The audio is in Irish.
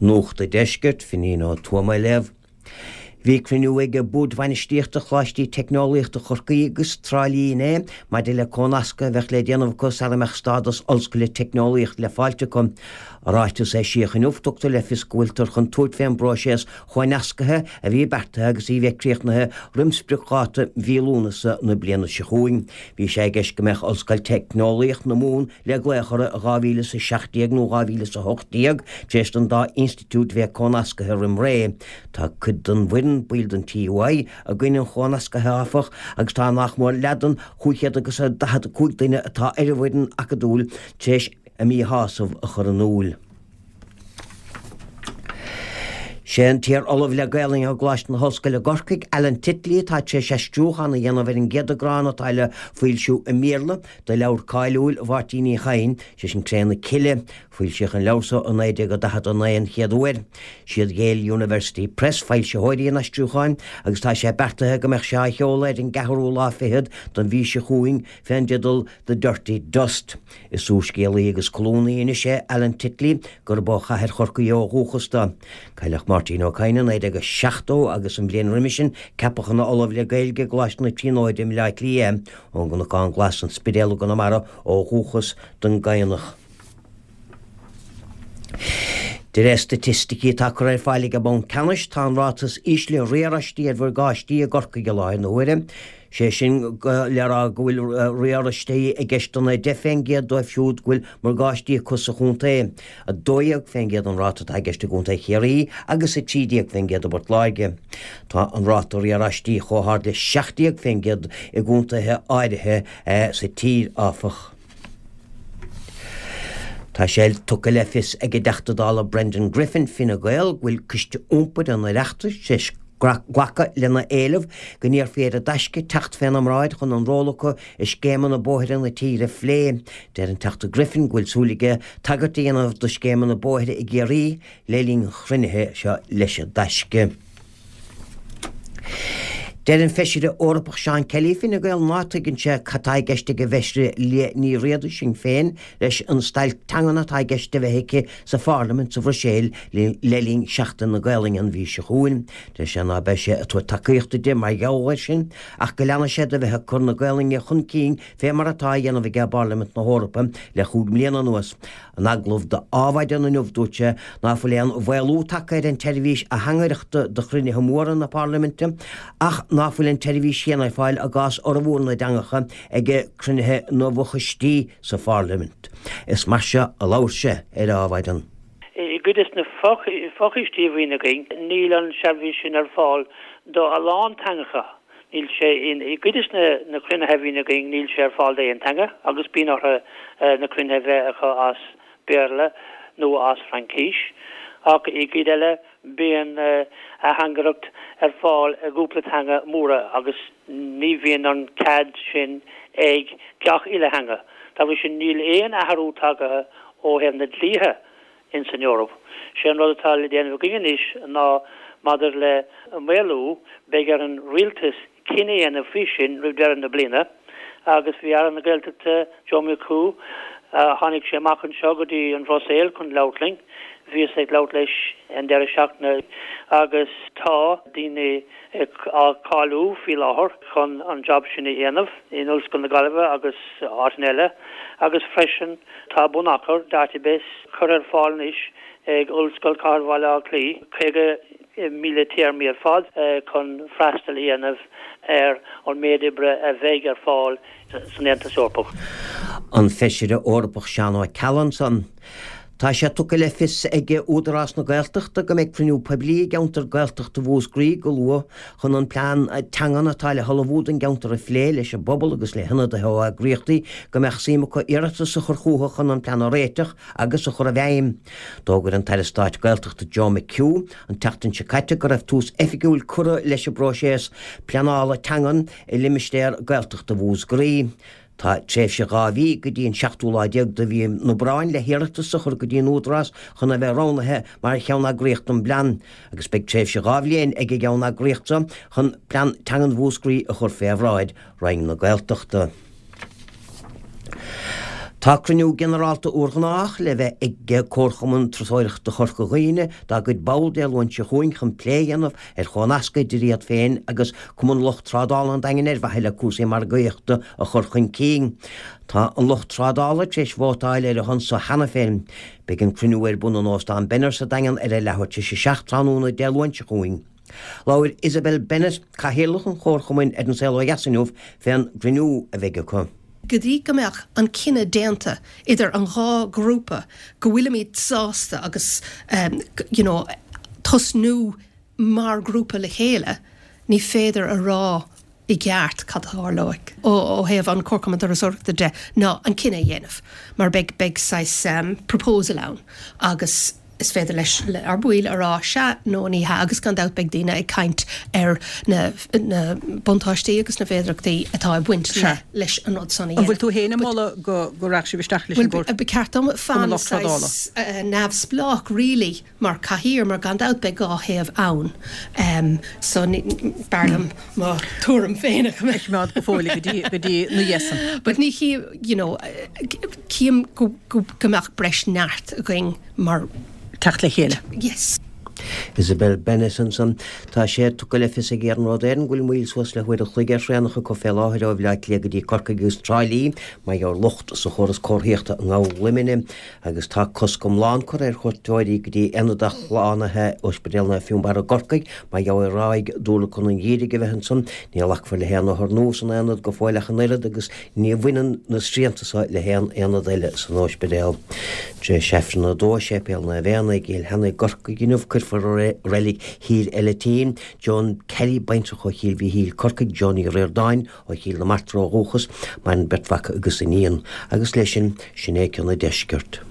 Nuacht an Deiscirt, Finín Ó Tuama á léamh. Bhí cruinniú ag Bord Bainistíochta Choláistí Teicneolaíochta Chorcaí agus Trá Lí inné maidir le cónascadh a bheadh le déanamh acu sara mbeadh stádas ollscoile teicneolaíochta le fáilt acu. I ráiteas a eisíodh inniu tugtar le fios go bhfuiltear chun tabhairt fén bpróiseas chónascaithe a bhí beartaithe agus í bheith críochnaithe roim spriocdháta mhí Lúnasa na bliana seo chugainn. Bhí sé i gceist go mbeadh Ollscoil Teicneolaíocht na Mumhan le glaoch uirthi i 2017 nó 2018 tar éis don dá institiúid bheith cónascaithe roim ré. Tá cuid den bhfoireann, baill den TUI, i gcoinne an chónascaithe áfach agus tá nach mór leath den 545 duine atá ar an bhfoireann acadúil tar éis a míshásamh a chur in iúl. Sé an t-iar-ollamh le Gaelainn i gColáiste na hOllscoile i gCorcaigh, Alan Titley, atá tar éis aistriúchán a dhéanamh ar an gcéad eagrán atá le foilsiú i mBéarla de leabhar cáiliúil Mháirtín Uí Chadhain, sé sin Cré na Cille. Foilsíodh an leabhar so i 1949 an chéad uair. Siad Yale University Press foilsitheoirí an aistriúcháin agus tá sé beartaithe go mbeadh sé á sheoladh ar an gceathrú lá fichead den mhí seo chugainn fén dteideal The Dirty Dust. Is úrscéalaí agus colúnaí anois é Alan Titley, gurb ó chathair Chorcaí ó dhúchas dó. Cailleadh Máirtín Ó Cadhain i 1970 agus an bhliain roimhe sin ceapadh ina Ollamh le Gaeilge i gColáiste na Tríonóide i mBleá Cliath é. Ón gCnocán Glas, An Spidéal i gConamara ó dhúchas don gCadhnach. De réir staitisticí atá curtha ar fáil ag an mBanc Ceannais, tá an ráta is ísle riaráistí ar mhorgáistí i gCorcaigh i láthair na huaire. Sé sin le rá go bhfuil riaráistí i gceist don 10% dóibh siúd go bhfuil morgáistí acu sa chontae. 12% an ráta atá i gceist i gContae Chiarraí agus 13% i bPort Láirge. Tá an ráta riaráistí chomh hard le 17% i gcontaetha áirithe sa tír, áfach. Tá sé tugtha le fios ag an dTeachta Dála Brendan Griffin, Fine Gael, go bhfuil Coiste Iompair an Oireachtais tar éis glacadh lena éileamh go n-iarrfaí ar an dTaisce teacht féna mbráid chun an ról acu i scéimeanna bóithre na tíre a phlé. Deir an Teachta Griffin go bhfuil súil aige tagairt a dhéanamh do scéimeanna bóithre i gCiarraí le linn an chruinnithe seo leis an dTaisce. Deir an Feisire Eorpach Seán Kelly, Fine Gael, ná tuigeann sé cad tá i gceist ag an bhFeisire Liadh Ní Riada, Sinn Féin, leis an stailc teangan atá i gceist a bheith aici sa Pharlaimint sa Bhruiséil le linn Seachtain na Gaolainne an mhí seo chugainn. Deir sé ná beidh sé ag tabhairt tacaíochta di mar gheall air sin ach go leanfaidh sé de bheith ag cur na Gaolainne chun cinn fé mar atá á dhéanamh aige i bParlaimint na hEorpa le chúig mbliana anuas. In agallamh do Adhmhaidin inniu dúirt sé ná fuil aon mhaolú tagtha ar an tseirbhís atheangaireachta do chruinnithe móra na Parlaiminte ach ná fuil an tseirbhís chéanna ar fáil i gcás fhormhór na dteangacha ag cruinnithe na bhfochoistí sa Pharlaimint. Is mar seo a labhair sé ar Adhmhaidin. I gcuid des na fochoistí a bhíonn againn níl an tseirbhís sin ar fáil do a lán teangacha. Níl sé in, i gcuid des na cruinnithe a bhíonn againn níl sé ar fáil d'aon teanga agus bíonn orthu na cruinnithe a bheith acu as Béarla nó as Fraincís. Ach i gcuid eile bíonn atheangaireacht ar fáil i gcúpla teanga móra agus ní bhíonn an cead sin ag gach uile theanga. Dá bhrí sin níl aon athrú tagaithe ó thaobh na dlíthe ins an Eoraip. Sé an rud atá le déanamh againn anois ná maidir le maolú, beidh ar an Rialtas cinneadh a dhéanamh faoi sin roimh deireadh na bliana agus bhí Aire na Gaeltachta, Joe McHugh, tháinig sé amach anseo go dtí an Bhruiséil chun labhairt linn, bhíos ag labhairt leis an deireadh seachtaine agus tá daoine á cáiliú faoi láthair chun an job sin a dhéanamh in Ollscoil na Gaillimhe agus áiteanna eile agus freisin tá bunachar, database, curtha ar fáil anois ag Ollscoil Chathair Bhaile Átha Cliath, 50,000 téarmaí ar fad chun freastal a dhéanamh ar an méid oibre a bheidh ar fáil san Aontas Eorpach. An Feisire Eorpach Seán Ó Ceallaigh ansan. Tá sé tugtha le fios ag Údarás na Gaeltachta go mbeidh cruinniú poiblí i gceantar Gaeltachta Mhúscraí go luath chun an plean teangan atá le hullmhú don gceantar a phlé leis an bpobal agus le hionadaithe ó eagraíochtaí go mbeadh suim acu iarratas a chur chucu chun an plean a réiteach agus a chur i bhfeidhm. D'fhógair an tAire Stáit Gaeltachta Joe McHugh an tseachtain seo caite go raibh tús oifigiúil curtha leis an bpróiseas pleanála teangan i limistéar Gaeltachta Mhúscraí. Tá tréimhse 2 mhí, go dtí an seachtú lá déag de mhí an Aibreáin, le hiarratas a chur go dtí an Údarás chun a bheith roghnaithe mar cheanneagraíocht don bplean, agus beidh tréimhse 2 bhliain ag an gceanneagraíocht seo chun Plean Teangan Mhúscraí a chur fé bhráid Roinn na Gaeltachta. Tá cruinniú ginearálta úrghnách le bheith ag Comharchumann Turasóireachta Chorca Dhuibhne dá gcuid ball Dé Luain seo chugainn chun plé a dhéanamh ar chomhnascadh idir iad féin agus Cumann Lucht Trádála an Daingin ar mhaithe le cúrsaí margaíochta a chur chun cinn. Tá an lucht trádála tar éis vótáil ar a shon so cheana féin. Beidh an cruinniú ar bun in Óstán Benner sa Daingean ar a leathuair tar éis a 7 tráthnóna Dé Luain seo chugainn. Labhair Isabel Bennett, Cathaoirleach an Chomharchumainn ar An Saol Ó Dheas inniu fén gcruinniú a bheidh acu. Go dtí go mbeadh an cinneadh déanta idir an dhá ghrúpa go bhfuilimid sásta agus you know tosnú mar ghrúpa le chéile, ní féidir a rá i gceart cad a tharlóidh ó thaobh an Comharchumann Turasóireachta de ná an cinneadh a dhéanamh mar beidh beidh saghas proposal ann agus is féidir leis le ár baill a rá sea nó ní hea agus gan dabht beidh daoine ag caint ar na na buntáistí agus na féidearthachtaí atá ag baint le leis an rud san a dhéanamh. An bhfuil tú féin ag moladh go go rachadh sibh isteach leis an gComhar Bhuel ba cheart dom fan saghas neamhspleách really mar cathaoir mar gan dabht beidh 2 thaobh ann so b'fhearr liom mo tuairim féin a choimeád go fóill go dtí go dtí na dhiaidh san. But ní chí you know chím go go go mbeadh breis neart againn mar. teacht le chéile. Yes. Isabel Bennett ansan. Tá sé tugtha le fios ag Iarnród Éireann go bhfuil moill suas le huair an chloig ar thraenacha acu fé láthair ó Bhleá Cliath go dtí Corcaigh agus Trá Lí mar gheall ar locht sa chóras comharthaíochta i nGabhal Luimnigh. Agus tá cosc iomlán curtha ar chuairteoirí go dtí aonad athshlánaithe Ospidéal Naomh Fionnbarra i gCorcaigh mar gheall ar ráig dúlacán an gheimhridh a bheith ansan. Ní ghlacfar le haon othar nua san aonad go fóill ach an oiread agus ní bhaineann na srianta so le haon aonad eile san óispidéal. Tar éis Aifreann a 2 i Séipéal Naomh Éanna i gCill Sheanaigh i gCorcaigh inniu cuirfear i Reilig Thír Eilitín Joan Kelly, baintreach ó Chill Mhichíl, Corcaigh, Joan Ní Ríordáin, Ó Chill na Martra ó dhúchas, maireann beirt mhac agus iníon. Agus leis sin, sin é Ceann an Deiscirt.